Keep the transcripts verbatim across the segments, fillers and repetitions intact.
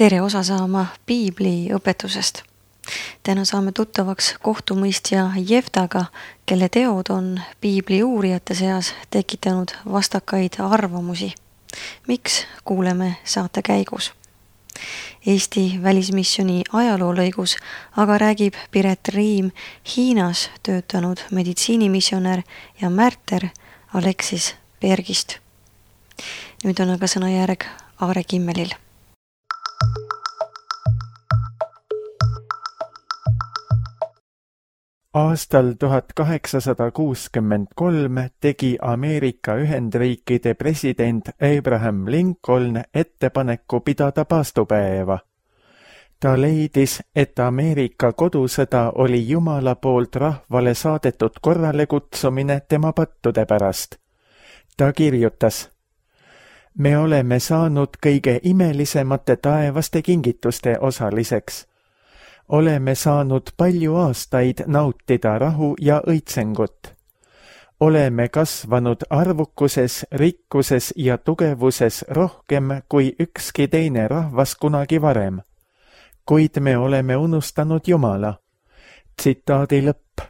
Tere osa saama Piibli õpetusest. Täna saame tuttavaks kohtumõistja Jeftaga, kelle teod on Piibli uurijate seas tekitanud vastakaid arvamusi. Miks kuuleme saate käigus? Eesti välismisjoni ajaloolõigus aga räägib Piret Riim Hiinas töötanud meditsiinimissionär ja märter Aleksis Bergist. Nüüd on aga sõnajärg Aare Kimmelil. Aastal tuhat kaheksasada kuuskümmend kolm tegi Ameerika Ühendriikide president Abraham Lincoln ettepaneku pidada paastupäeva. Ta leidis, et Ameerika kodusõda oli Jumala poolt rahvale saadetud korrale kutsumine tema pattude pärast. Ta kirjutas: Me oleme saanud kõige imelisemate taevaste kingituste osaliseks. Oleme saanud palju aastaid nautida rahu ja õitsengut. Oleme kasvanud arvukuses, rikkuses ja tugevuses rohkem kui ükski teine rahvas kunagi varem. Kuid me oleme unustanud Jumala. Tsitaadi lõpp.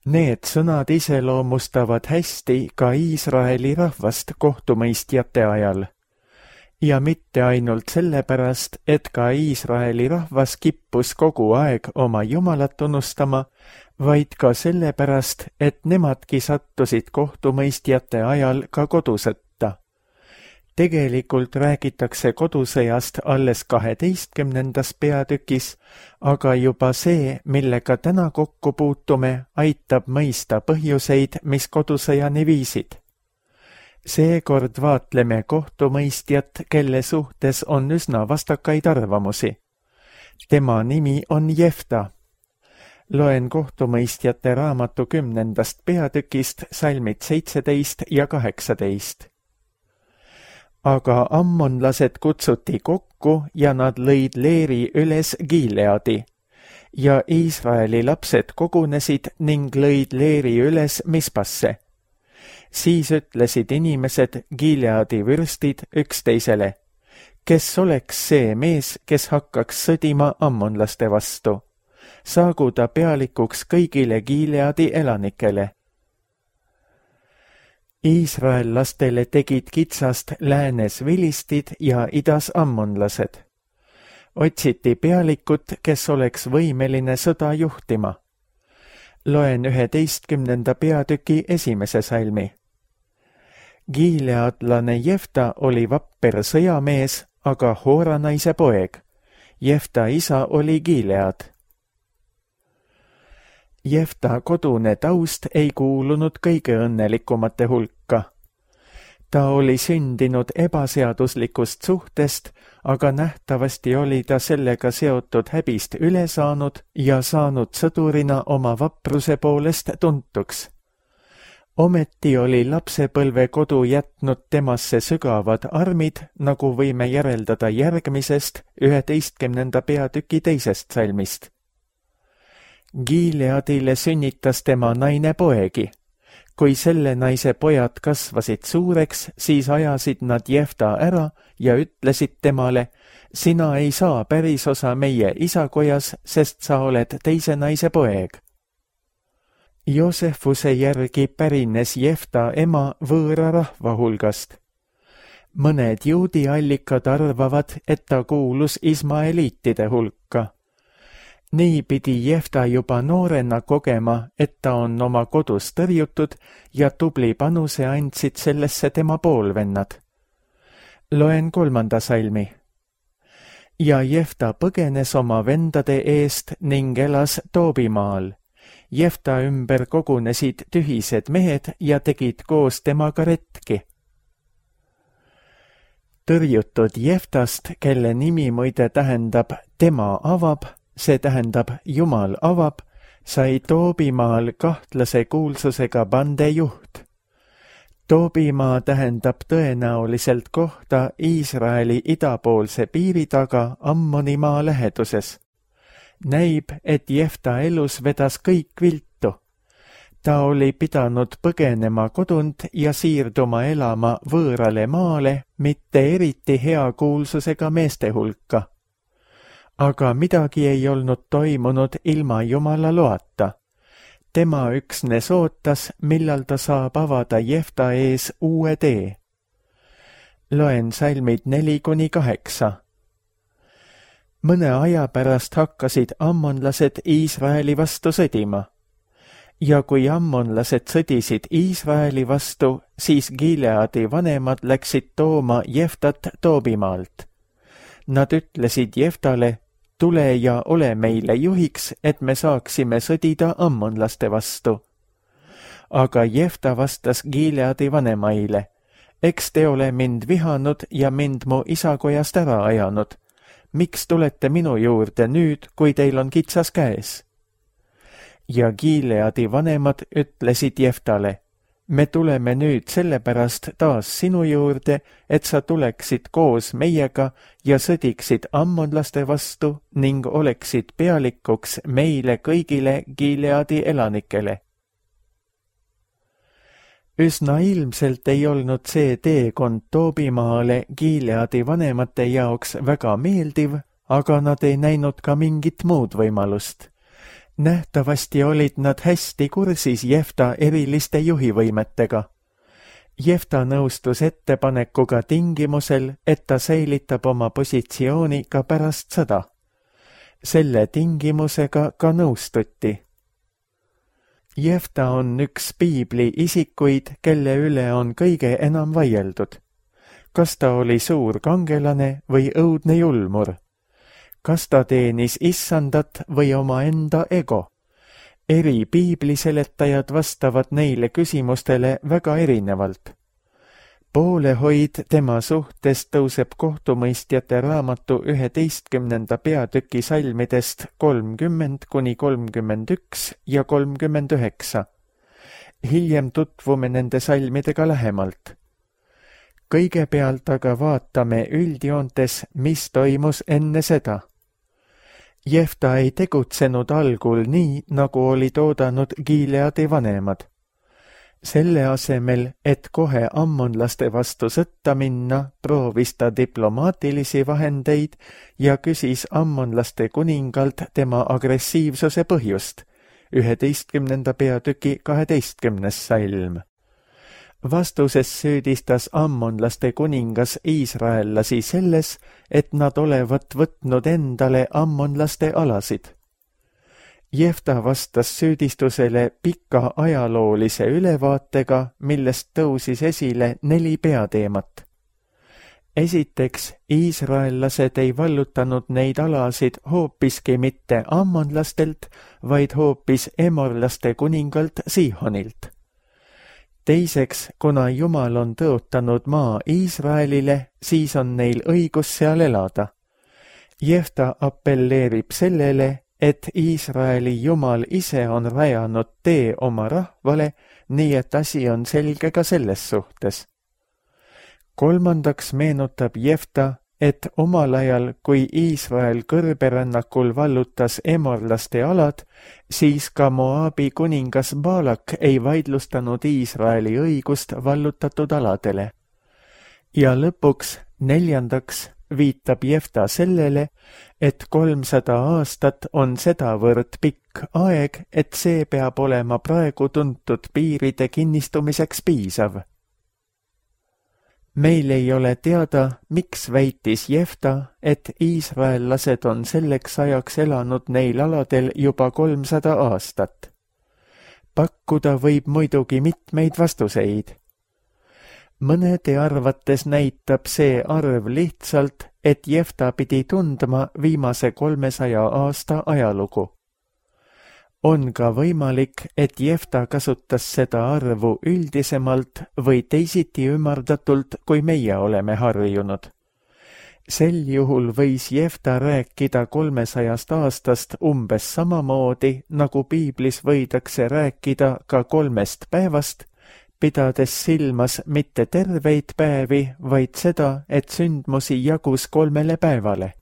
Need sõnad iseloomustavad hästi ka Iisraeli rahvast kohtumõistjate ajal. Ja mitte ainult sellepärast, et ka Iisraeli rahvas kippus kogu aeg oma Jumalat tunnustama, vaid ka sellepärast, et nemadki sattusid kohtumõistjate ajal ka kodusõtta. Tegelikult räägitakse kodusõjast alles kaheteistkümnendas peatükis, aga juba see, millega täna kokku puutume, aitab mõista põhjuseid, mis kodusõjani viisid. Seekord vaatleme kohtumõistjat, kelle suhtes on üsna vastakaid arvamusi. Tema nimi on Jefta. Loen kohtumõistjate raamatu kümnendast peatükist salmid seitseteist ja kaheksateist. Aga ammonlased kutsuti kokku ja nad lõid leeri üles Gileadi. Ja Iisraeli lapsed kogunesid ning lõid leeri üles Mispasse. Siis ütlesid inimesed, Gileadi vürstid, üksteisele: Kes oleks see mees, kes hakkaks sõdima ammonlaste vastu? Saagu ta pealikuks kõigile Gileadi elanikele. Iisraellastele tegid kitsast läänes vilistid ja idas ammonlased. Otsiti pealikut, kes oleks võimeline sõda juhtima. Loen üheteistkümnenda peatüki esimese salmi. Gileadlane Jefta oli vapper sõjamees, aga Hooranaise poeg. Jefta isa oli Gilead. Jefta kodune taust ei kuulunud kõige õnnelikumate hulka. Ta oli sündinud ebaseaduslikust suhtest, aga nähtavasti oli ta sellega seotud häbist üle saanud ja saanud sõdurina oma vapruse poolest tuntuks. Ometi oli lapsepõlve kodu jätnud temasse sügavad armid, nagu võime järeldada järgmisest üheteistkümnenda peatüki teisest salmist. Gileadile sünnitas tema naine poegi. Kui selle naise pojad kasvasid suureks, siis ajasid nad Jefta ära ja ütlesid temale: Sina ei saa päris osa meie isakojas, sest sa oled teise naise poeg. Joosefuse järgi pärines Jefta ema võõra rahva hulgast. Mõned juudi allikad arvavad, et ta kuulus ismaeliitide hulka. Nii pidi Jefta juba noorena kogema, et ta on oma kodus tõrjutud ja tubli panuse andsid sellesse tema poolvennad. Loen kolmanda salmi. Ja Jefta põgenes oma vendade eest ning elas Toobimaal. Jefta ümber kogunesid tühised mehed ja tegid koos temaga retki. Tõrjutud Jeftast, kelle nimi muide tähendab tema avab, see tähendab Jumal avab, sai Toobimaal kahtlase kuulsusega bande juht. Toobimaa tähendab tõenäoliselt kohta Iisraeli idapoolse piiri taga Ammonimaa läheduses. Näib, et Jefta elus vedas kõik viltu. Ta oli pidanud põgenema kodunt ja siirduma elama võõrale maale, mitte eriti hea kuulsusega meeste hulka. Aga midagi ei olnud toimunud ilma Jumala loata. Tema üksnes ootas, millal ta saab avada Jefta ees uue tee. Loen salmid neli kuni kaheksa. Mõne aja pärast hakkasid ammonlased Iisraeli vastu sõdima. Ja kui ammonlased sõdisid Iisraeli vastu, siis Gileadi vanemad läksid tooma Jeftat Toobimaalt. Nad ütlesid Jeftale, tule ja ole meile juhiks, et me saaksime sõdida ammonlaste vastu. Aga Jefta vastas Gileadi vanemaile, eks te ole mind vihanud ja mind mu isakojast ära ajanud. Miks tulete minu juurde nüüd, kui teil on kitsas käes? Ja Gileadi vanemad ütlesid Jeftale, me tuleme nüüd sellepärast taas sinu juurde, et sa tuleksid koos meiega ja sõdiksid ammonlaste vastu ning oleksid pealikuks meile kõigile Gileadi elanikele. Üsna ilmselt ei olnud see teekond Toobimaale Gileadi vanemate jaoks väga meeldiv, aga nad ei näinud ka mingit muud võimalust. Nähtavasti olid nad hästi kursis Jefta eriliste juhivõimetega. Jefta nõustus ettepanekuga tingimusel, et ta säilitab oma positsiooni ka pärast sõda. Selle tingimusega ka nõustuti. Jefta on üks piibli isikuid, kelle üle on kõige enam vaieldud. Kas ta oli suur kangelane või õudne julmur? Kas ta teenis issandat või omaenda ego? Eri piibliseletajad vastavad neile küsimustele väga erinevalt. Poolehoid tema suhtes tõuseb kohtumõistjate raamatu üheteistkümnenda peatüki salmidest kolmkümmend kuni kolmkümmend üks ja kolmkümmend üheksa. Hiljem tutvume nende salmidega lähemalt. Kõigepealt aga vaatame üldjoontes, mis toimus enne seda. Jefta ei tegutsenud algul nii, nagu olid oodanud Gileadi vanemad. Selle asemel, et kohe ammonlaste vastu sõtta minna, proovis ta diplomaatilisi vahendeid ja küsis ammonlaste kuningalt tema agressiivsuse põhjust, üheteistkümnenda peatüki kaheteistkümnes salm. Vastuses süüdistas ammonlaste kuningas iisraellasi selles, et nad olevat võtnud endale ammonlaste alasid. Jefta vastas süüdistusele pika ajaloolise ülevaatega, millest tõusis esile neli peateemat. Esiteks, iisraellased ei vallutanud neid alasid hoopiski mitte ammonlastelt, vaid hoopis emorlaste kuningalt Siihonilt. Teiseks, kuna Jumal on tõotanud maa Iisraelile, siis on neil õigus seal elada. Jefta appelleerib sellele, et Iisraeli Jumal ise on rajanud tee oma rahvale, nii et asi on selge ka selles suhtes. Kolmandaks meenutab Jefta, et omal ajal, kui Iisrael kõrberännakul vallutas emorlaste alad, siis ka Moabi kuningas Baalak ei vaidlustanud Iisraeli õigust vallutatud aladele. Ja lõpuks, neljandaks, viitab Jefta sellele, et kolmsada aastat on sedavõrd pikk aeg, et see peab olema praegu tuntud piiride kinnistumiseks piisav. Meil ei ole teada, miks väitis Jefta, et iisraellased on selleks ajaks elanud neil aladel juba kolmsada aastat. Pakkuda võib muidugi mitmeid vastuseid. Mõnede arvates näitab see arv lihtsalt, et Jefta pidi tundma viimase kolmesaja aasta ajalugu. On ka võimalik, et Jefta kasutas seda arvu üldisemalt või teisiti ümardatult, kui meie oleme harjunud. Sel juhul võis Jefta rääkida kolmesajast aastast umbes samamoodi, nagu piiblis võidakse rääkida ka kolmest päevast, pidades silmas mitte terveid päevi, vaid seda, et sündmusi jagus kolmele päevale.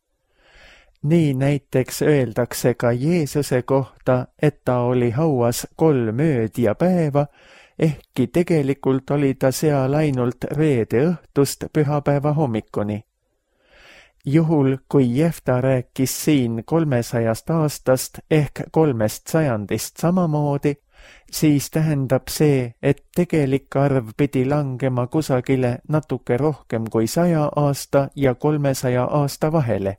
Nii näiteks öeldakse ka Jeesuse kohta, et ta oli hauas kolm ööd ja päeva, ehkki tegelikult oli ta seal ainult reede õhtust pühapäeva hommikuni. Juhul, kui Jefta rääkis siin kolmesajast aastast ehk kolmest sajandist samamoodi, siis tähendab see, et tegelik arv pidi langema kusagile natuke rohkem kui saja aasta ja kolmesaja aasta vahele.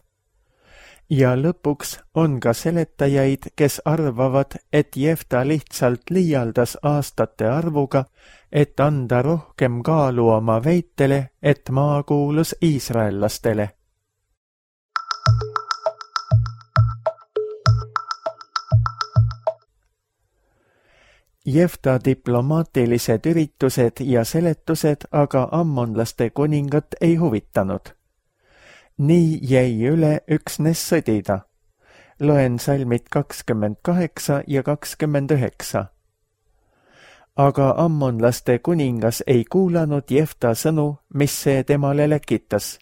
Ja lõpuks on ka seletajaid, kes arvavad, et Jefta lihtsalt liialdas aastate arvuga, et anda rohkem kaalu oma väitele, et maa kuulus iisraellastele. Jefta diplomaatilised üritused ja seletused aga ammonlaste kuningat ei huvitanud. Nii jäi üle üksnes sõdida. Loen salmid kakskümmend kaheksa ja kakskümmend üheksa. Aga ammonlaste kuningas ei kuulanud Jefta sõnu, mis see temale läkitas.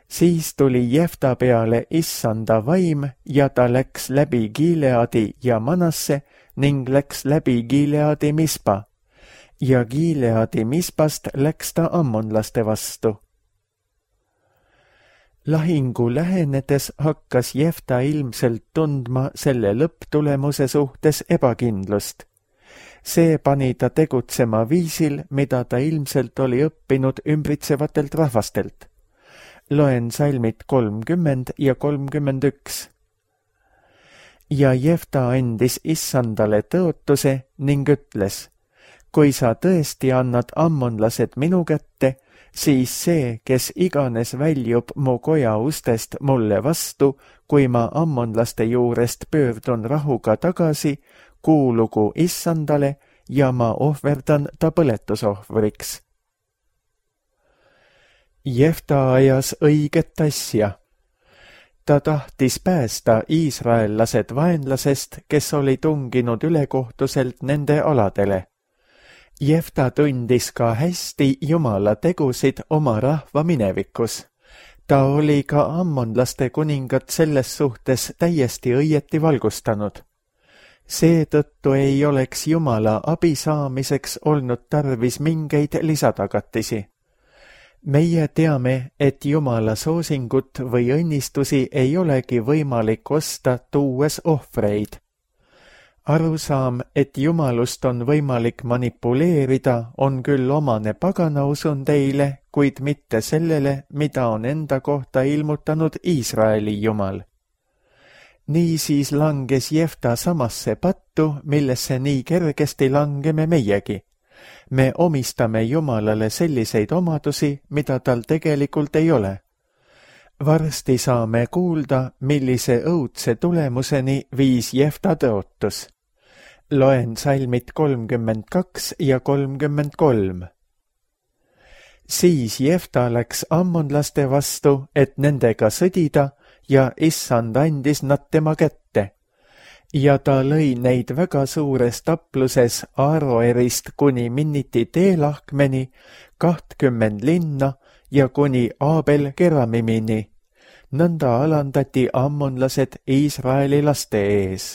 Siis tuli Jefta peale issanda vaim ja ta läks läbi Gileadi ja Manasse ning läks läbi Gileadi Mispa. Ja Gileadi Mispast läks ta ammonlaste vastu. Lahingu lähenedes hakkas Jefta ilmselt tundma selle lõpptulemuse suhtes ebakindlust. See pani ta tegutsema viisil, mida ta ilmselt oli õppinud ümbritsevatelt rahvastelt. Loen salmid kolmkümmend ja kolmkümmend üks. Ja Jefta andis issandale tõotuse ning ütles, kui sa tõesti annad ammonlased minu kätte, siis see, kes iganes väljub mu koja ustest mulle vastu, kui ma ammonlaste juurest pöördun rahuga tagasi, kuulugu issandale ja ma ohverdan ta põletusohvriks. Jefta ajas õiget asja. Ta tahtis päästa iisraellased vaenlasest, kes oli tunginud ülekohtuselt nende aladele. Jefta tundis ka hästi Jumala tegusid oma rahva minevikus. Ta oli ka ammonlaste kuningat selles suhtes täiesti õieti valgustanud. Seetõttu ei oleks Jumala abi saamiseks olnud tarvis mingeid lisatagatisi. Meie teame, et Jumala soosingut või õnnistusi ei olegi võimalik osta tuues ohvreid. Arusaam, et Jumalust on võimalik manipuleerida, on küll omane pagana usundeile, kuid mitte sellele, mida on enda kohta ilmutanud Iisraeli Jumal. Niisiis langes Jefta samasse pattu, millesse nii kergesti langeme meiegi. Me omistame Jumalale selliseid omadusi, mida tal tegelikult ei ole. Varsti saame kuulda, millise õudse tulemuseni viis Jefta tõotus. Loen salmid kolmkümmend kaks ja kolmkümmend kolm. Siis Jefta läks ammonlaste vastu, et nendega sõdida, ja issand andis nad tema kätte. Ja ta lõi neid väga suures tapluses Aaroerist kuni Minniti teelahkmeni, kahtkümmend linna ja kuni Aabel Keramimini. Nõnda alandati ammonlased Iisraeli laste ees.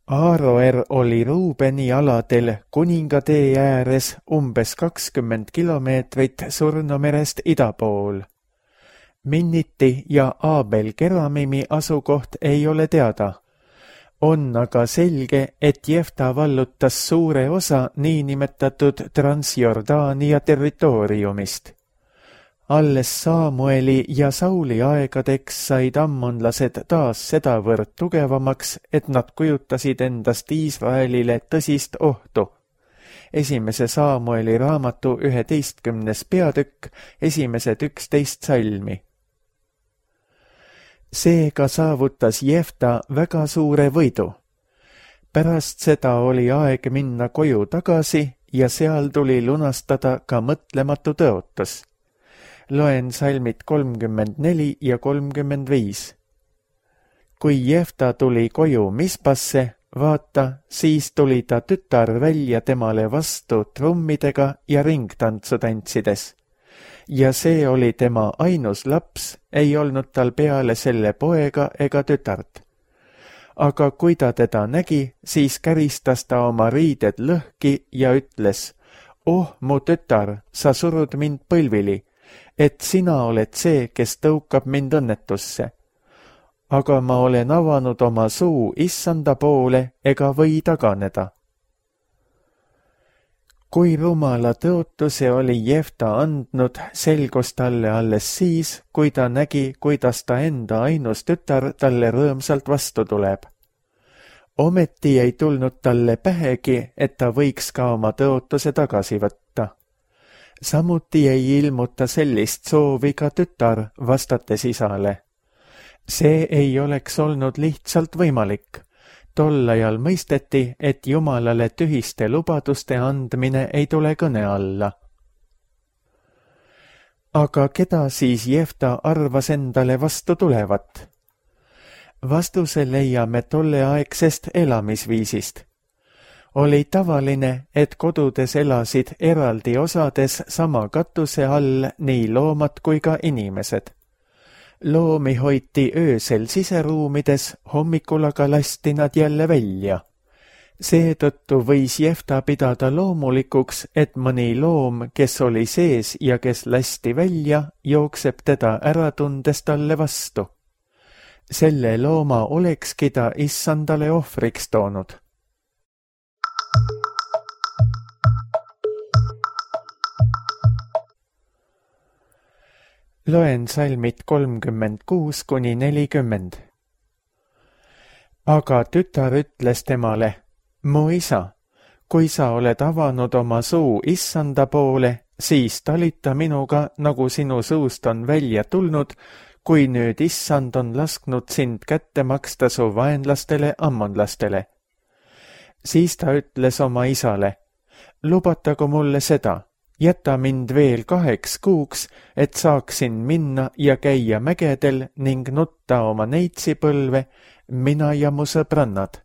Aaroer oli Ruubeni aladel kuningatee ääres umbes kakskümmend kilomeetrit Surnomerest ida pool. Minniti ja Aabel Keramimi asukoht ei ole teada. On aga selge, et Jefta vallutas suure osa niinimetatud Transjordaania territooriumist. Alles Saamueli ja Sauli aegadeks said ammonlased taas sedavõrd tugevamaks, et nad kujutasid endast Iisraelile tõsist ohtu. Esimese Saamueli raamatu üheteistkümnes peatükk, esimesed üksteist salmi. Seega saavutas Jefta väga suure võidu. Pärast seda oli aeg minna koju tagasi ja seal tuli lunastada ka mõtlematu tõotus. Loen salmid kolmkümmend neli ja kolmkümmend viis. Kui Jefta tuli koju Mispasse, vaata, siis tuli ta tütar välja temale vastu trummidega ja ringtantsu tantsides. ja see oli tema ainus laps, ei olnud tal peale selle poega ega tütart. Aga kui ta teda nägi, siis käristas ta oma riided lõhki ja ütles, oh, mu tütar, sa surud mind põlvili, et sina oled see, kes tõukab mind õnnetusse. Aga ma olen avanud oma suu issanda poole ega või taganeda. Kui rumala tõotuse oli Jefta andnud, selgus talle alles siis, kui ta nägi, kuidas ta enda ainus tütar talle rõõmsalt vastu tuleb. Ometi ei tulnud talle pähegi, et ta võiks ka oma tõotuse tagasi võtta. Samuti ei ilmuta sellist soovi ka tütar, vastates isale. See ei oleks olnud lihtsalt võimalik. Tol ajal mõisteti, et Jumalale tühiste lubaduste andmine ei tule kõne alla. Aga keda siis Jefta arvas endale vastu tulevat? Vastuse leiame tolleaegsest elamisviisist. Oli tavaline, et kodudes elasid eraldi osades sama katuse all nii loomad kui ka inimesed. Loomi hoiti öösel siseruumides, hommikul aga lasti nad jälle välja. Seetõttu võis Jefta pidada loomulikuks, et mõni loom, kes oli sees ja kes lasti välja, jookseb teda ära tundes talle vastu. Selle looma olekski ta issandale ohvriks toonud. Loen salmid kolmkümmend kuus kuni nelikümmend. Aga tütar ütles temale, mu isa, kui sa oled avanud oma suu issanda poole, siis talita minuga, nagu sinu suust on välja tulnud, kui nüüd issand on lasknud sind kätte maksta su vaenlastele ammonlastele. Siis ta ütles oma isale, lubatagu mulle seda, jäta mind veel kaheks kuuks, et saaksin minna ja käia mägedel ning nutta oma neitsipõlve, mina ja mu sõbrannad.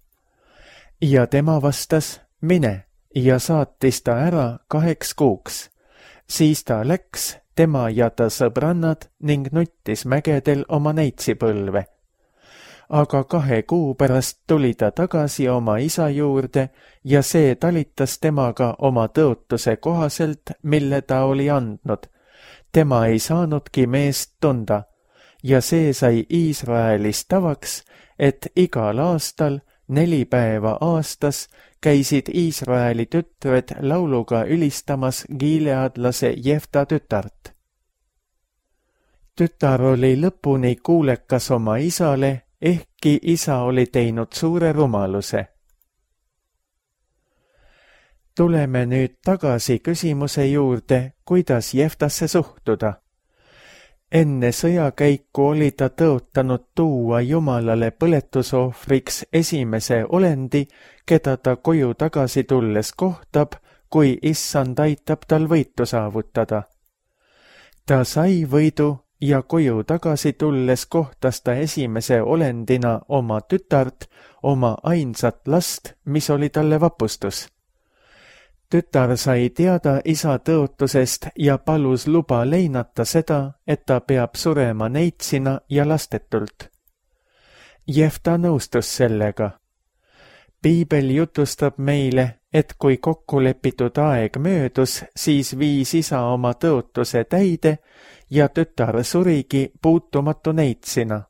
Ja tema vastas, mine, ja saatis ta ära kaheks kuuks. Siis ta läks, tema ja ta sõbrannad, ning nuttis mägedel oma neitsipõlve. Aga kahe kuu pärast tuli ta tagasi oma isa juurde ja see talitas temaga oma tõotuse kohaselt, mille ta oli andnud. Tema ei saanudki meest tunda ja see sai Iisraelis tavaks, et igal aastal, neli päeva aastas, käisid Iisraeli tütred lauluga ülistamas gileadlase Jefta tütart. Tütar oli lõpuni kuulekas oma isale, ehkki isa oli teinud suure rumaluse. Tuleme nüüd tagasi küsimuse juurde, kuidas Jeftasse suhtuda. Enne sõjakäiku oli ta tõotanud tuua Jumalale põletusohvriks esimese olendi, keda ta koju tagasi tulles kohtab, kui issand aitab tal võitu saavutada. Ta sai võidu ja koju tagasi tulles kohtas ta esimese olendina oma tütart, oma ainsat last, mis oli talle vapustus. Tütar sai teada isa tõotusest ja palus luba leinata seda, et ta peab surema neitsina ja lastetult. Jefta nõustus sellega. Piibel jutustab meile, et kui kokkulepitud aeg möödus, siis viis isa oma tõotuse täide ja tütar surigi puutumatu neitsina.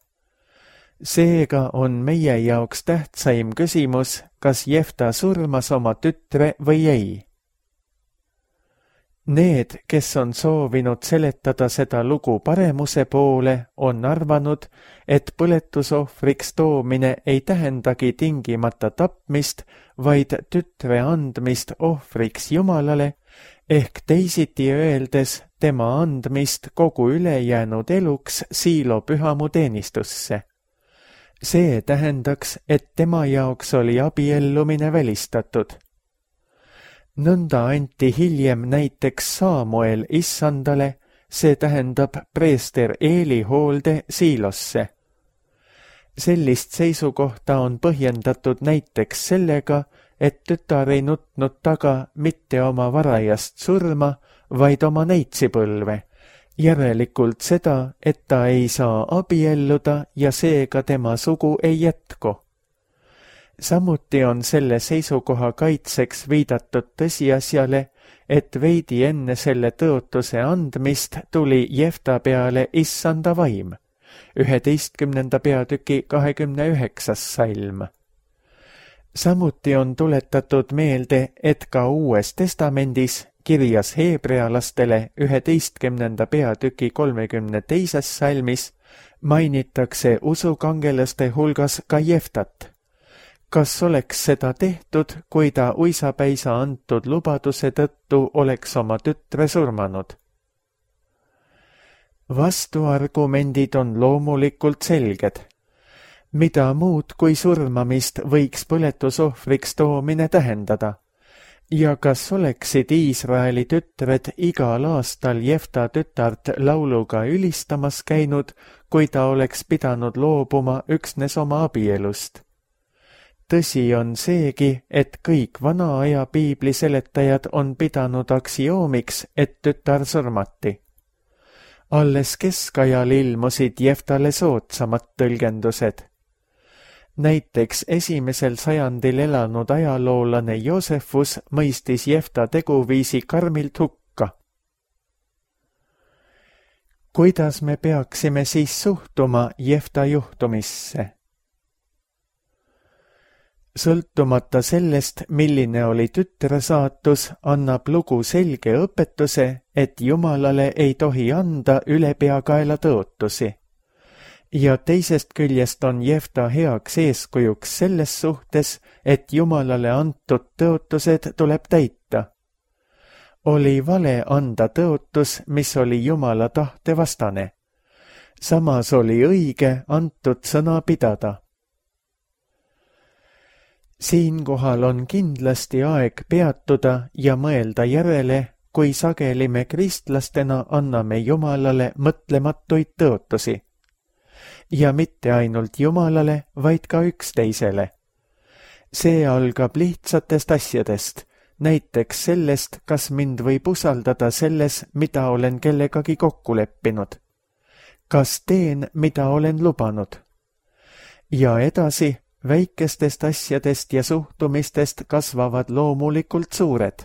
Seega on meie jaoks tähtsaim küsimus, kas Jefta surmas oma tütre või ei. Need, kes on soovinud seletada seda lugu paremuse poole, on arvanud, et põletusohvriks toomine ei tähendagi tingimata tapmist, vaid tütre andmist ohvriks Jumalale, ehk teisiti öeldes tema andmist kogu ülejäänud eluks Siilo pühamu teenistusse. See tähendaks, et tema jaoks oli abiellumine välistatud. Nõnda anti hiljem näiteks Saamuel issandale, see tähendab preester Eeli hoolde Siilosse. Sellist seisukohta on põhjendatud näiteks sellega, et tütar ei nutnud taga mitte oma varajast surma, vaid oma neitsipõlve, järelikult seda, et ta ei saa abielluda ja seega tema sugu ei jätku. Samuti on selle seisukoha kaitseks viidatud tõsiasjale, et veidi enne selle tõotuse andmist tuli Jefta peale issanda vaim, üheteistkümnenda peatüki kahekümne üheksas salm. Samuti on tuletatud meelde, et ka Uues Testamendis kirjas heebrealastele üheteistkümnenda peatüki kolmekümne teises salmis mainitakse usukangelaste hulgas ka Jeftat. Kas oleks seda tehtud, kui ta uisapäisa antud lubaduse tõttu oleks oma tütre surmanud? Vastuargumendid on loomulikult selged. Mida muud kui surmamist võiks põletusohvriks toomine tähendada? Ja kas oleksid Iisraeli tütred igal aastal Jefta tütart lauluga ülistamas käinud, kui ta oleks pidanud loobuma üksnes oma abielust? Tõsi on seegi, et kõik vana aja piibli seletajad on pidanud aksioomiks, et tütar surmati. Alles keskajal ilmusid Jeftale soodsamad tõlgendused. Näiteks esimesel sajandil elanud ajaloolane Joosefus mõistis Jefta teguviisi karmilt hukka. Kuidas me peaksime siis suhtuma Jefta juhtumisse? Sõltumata sellest, milline oli tütre saatus, annab lugu selge õpetuse, et Jumalale ei tohi anda ülepeakaela tõotusi. Ja teisest küljest on Jefta heaks eeskujuks selles suhtes, et Jumalale antud tõotused tuleb täita. Oli vale anda tõotus, mis oli Jumala tahte vastane. Samas oli õige antud sõna pidada. Siinkohal on kindlasti aeg peatuda ja mõelda järele, kui sageli me kristlastena anname Jumalale mõtlematuid tõotusi. Ja mitte ainult Jumalale, vaid ka üksteisele. See algab lihtsatest asjadest, näiteks sellest, kas mind võib usaldada selles, mida olen kellegagi kokku leppinud. Kas teen, mida olen lubanud? Ja edasi, väikestest asjadest ja suhtumistest kasvavad loomulikult suured.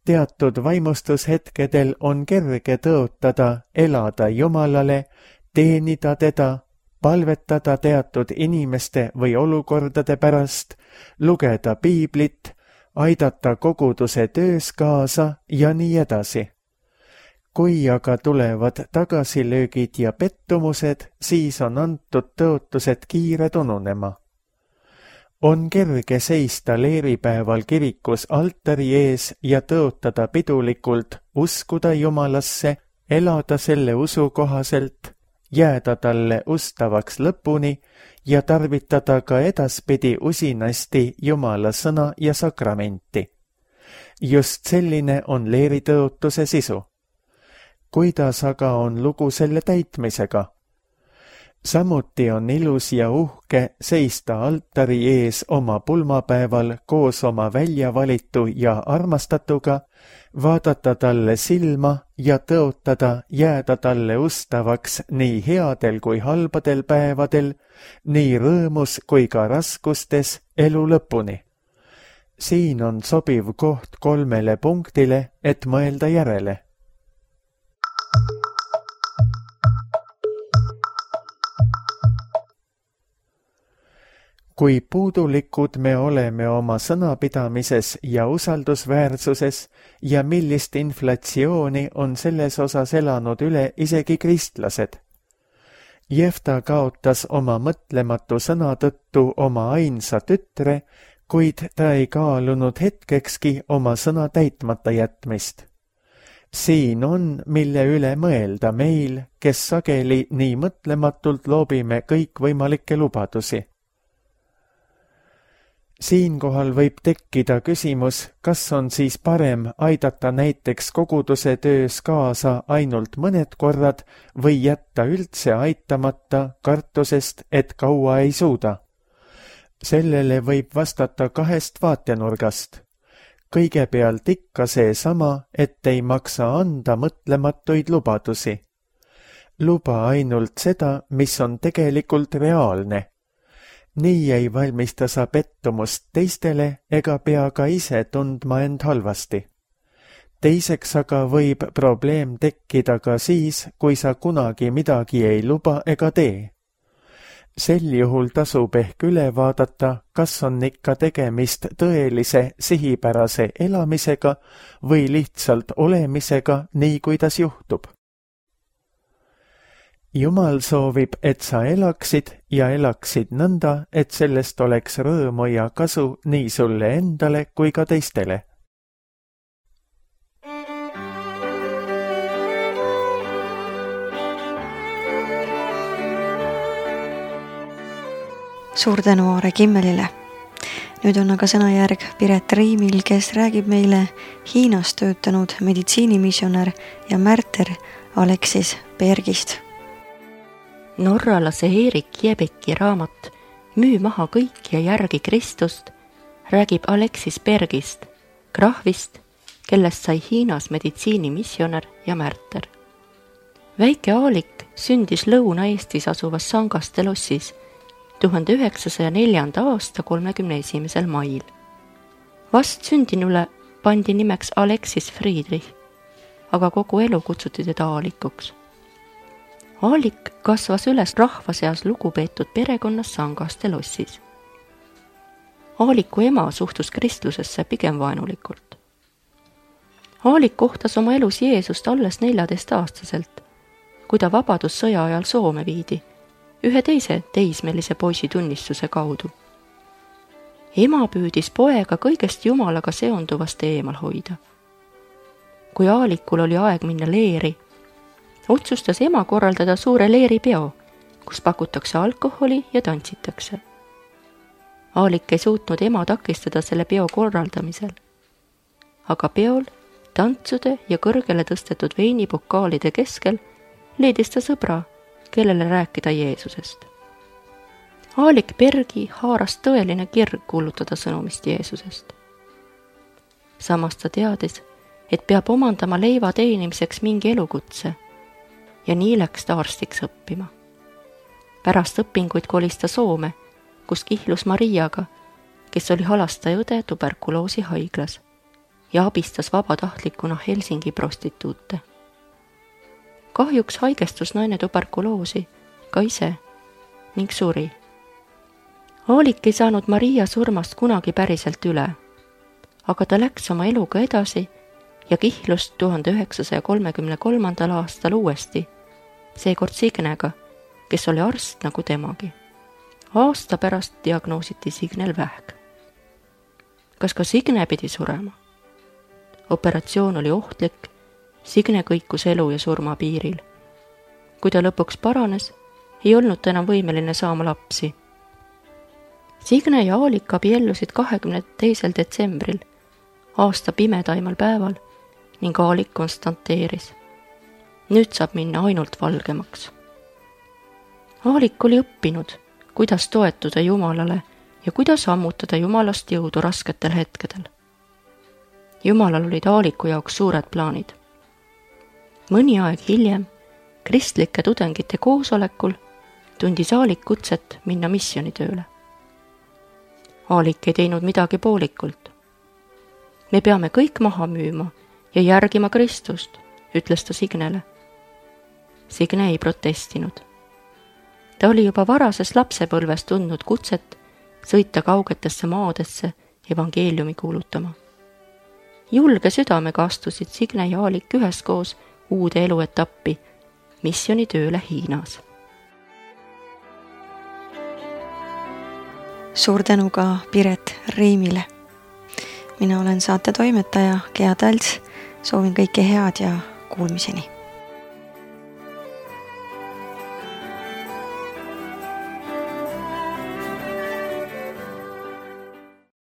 Teatud vaimustushetkedel on kerge tõotada, elada Jumalale, teenida teda, palvetada teatud inimeste või olukordade pärast, lugeda piiblit, aidata koguduse töös kaasa ja nii edasi. Kui aga tulevad tagasilöögid ja pettumused, siis on antud tõotused kiired ununema. On kerge seista leeripäeval kirikus altari ees ja tõotada pidulikult, uskuda Jumalasse, elada selle usu kohaselt, jääda talle ustavaks lõpuni ja tarvitada ka edaspidi usinasti Jumala sõna ja sakramenti. Just selline on leeritõotuse sisu. Kuidas aga on lugu selle täitmisega? Samuti on ilus ja uhke seista altari ees oma pulmapäeval koos oma väljavalitu ja armastatuga, vaadata talle silma ja tõotada jääda talle ustavaks nii headel kui halbadel päevadel, nii rõõmus kui ka raskustes elu lõpuni. Siin on sobiv koht kolmele punktile, et mõelda järele. Kui puudulikud me oleme oma sõnapidamises ja usaldusväärsuses ja millist inflatsiooni on selles osas elanud üle isegi kristlased. Jefta kaotas oma mõtlematu sõna tõttu oma ainsa tütre, kuid ta ei kaalunud hetkekski oma sõna täitmata jätmist. Siin on, mille üle mõelda meil, kes sageli nii mõtlematult loobime kõikvõimalikke lubadusi. Siinkohal võib tekkida küsimus, kas on siis parem aidata näiteks koguduse töös kaasa ainult mõned korrad või jätta üldse aitamata kartusest, et kaua ei suuda. Sellele võib vastata kahest vaatenurgast. kõigepealt ikka seesama, et ei maksa anda mõtlematuid lubadusi. Luba ainult seda, mis on tegelikult reaalne. Nii ei valmista sa pettumust teistele ega pea ka ise tundma end halvasti. Teiseks aga võib probleem tekkida ka siis, kui sa kunagi midagi ei luba ega tee. Sel juhul tasub ehk üle vaadata, kas on ikka tegemist tõelise sihipärase elamisega või lihtsalt olemisega nii, kuidas juhtub. Jumal soovib, et sa elaksid ja elaksid nõnda, et sellest oleks rõõmu ja kasu nii sulle endale kui ka teistele. Suur tänu Aare Kimmelile. Nüüd on aga sõnajärg Piret Riimil, kes räägib meile Hiinas töötanud meditsiinimissionär ja märter Aleksis Bergist. Norralase Erik Jebeki raamat Müü maha kõik ja järgi Kristust räägib Aleksis Bergist, krahvist, kellest sai Hiinas meditsiinimissionär ja märter. Väike Aalik sündis Lõuna-Eestis asuvas Sangaste lossis tuhande üheksasaja neljanda aasta kolmekümne esimesel mail. Vast sündinule pandi nimeks Aleksis Friedrich, aga kogu elu kutsuti teda Aalikuks. Aalik kasvas üles rahva seas lugupeetud perekonnas Sangaste lossis. Aaliku ema suhtus kristlusesse pigem vaenulikult. Aalik kohtas oma elus Jeesust alles neljateistaastaselt, kui ta vabadussõja ajal Soome viidi, ühe teise teismelise poisi tunnistuse kaudu. Ema püüdis poega kõigest Jumalaga seonduvast eemal hoida. Kui Aalikul oli aeg minna leeri, otsustas ema korraldada suure leeripeo, kus pakutakse alkoholi ja tantsitakse. Aalik ei suutnud ema takistada selle peo korraldamisel, aga peol, tantsude ja kõrgele tõstetud veinipokaalide keskel leidis ta sõbra, kellele rääkida Jeesusest. Aalik Bergi haaras tõeline kirg kuulutada sõnumist Jeesusest. Samas ta teadis, et peab omandama leiva teenimiseks mingi elukutse ja nii läks ta arstiks õppima. Pärast õpinguid kolis ta Soome, kus kihlus Mariaga, kes oli halastajaõde tuberkuloosi haiglas ja abistas vabatahtlikuna Helsingi prostituute. Kahjuks haigestus naine tuberkuloosi ka ise ning suri. Aalik ei saanud Maria surmast kunagi päriselt üle, aga ta läks oma eluga edasi ja kihlus tuhande üheksasaja kolmekümne kolmandal aastal uuesti, seekord Signega, kes oli arst nagu temagi. Aasta pärast diagnoositi Signel vähk. Kas ka Signe pidi surema? Operatsioon oli ohtlik, Signe kõikus elu ja surma piiril. Kui ta lõpuks paranes, ei olnud ta enam võimeline saama lapsi. Signe ja Aalik abiellusid kahekümne teisel detsembril, aasta pimedaimal päeval, ning Aalik konstanteeris. Nüüd saab minna ainult valgemaks. Aalik oli õppinud, kuidas toetuda Jumalale ja kuidas ammutada Jumalast jõudu rasketel hetkedel. Jumalal olid Aaliku jaoks suured plaanid. Mõni aeg hiljem, kristlike tudengite koosolekul, tundis Aalik kutset minna missionitööle. Aalik ei teinud midagi poolikult. Me peame kõik maha müüma ja järgima Kristust, ütles ta Signele. Signe ei protestinud. Ta oli juba varases lapsepõlves tundnud kutset sõita kaugetesse maadesse evangeeliumi kuulutama. Julge südamega astusid Signe ja Aalik üheskoos uude eluetappi, missionitööle Hiinas. Suur tänu ka Piret Riimile. Mina olen saate toimetaja Gea Talts, soovin kõike head ja kuulmiseni.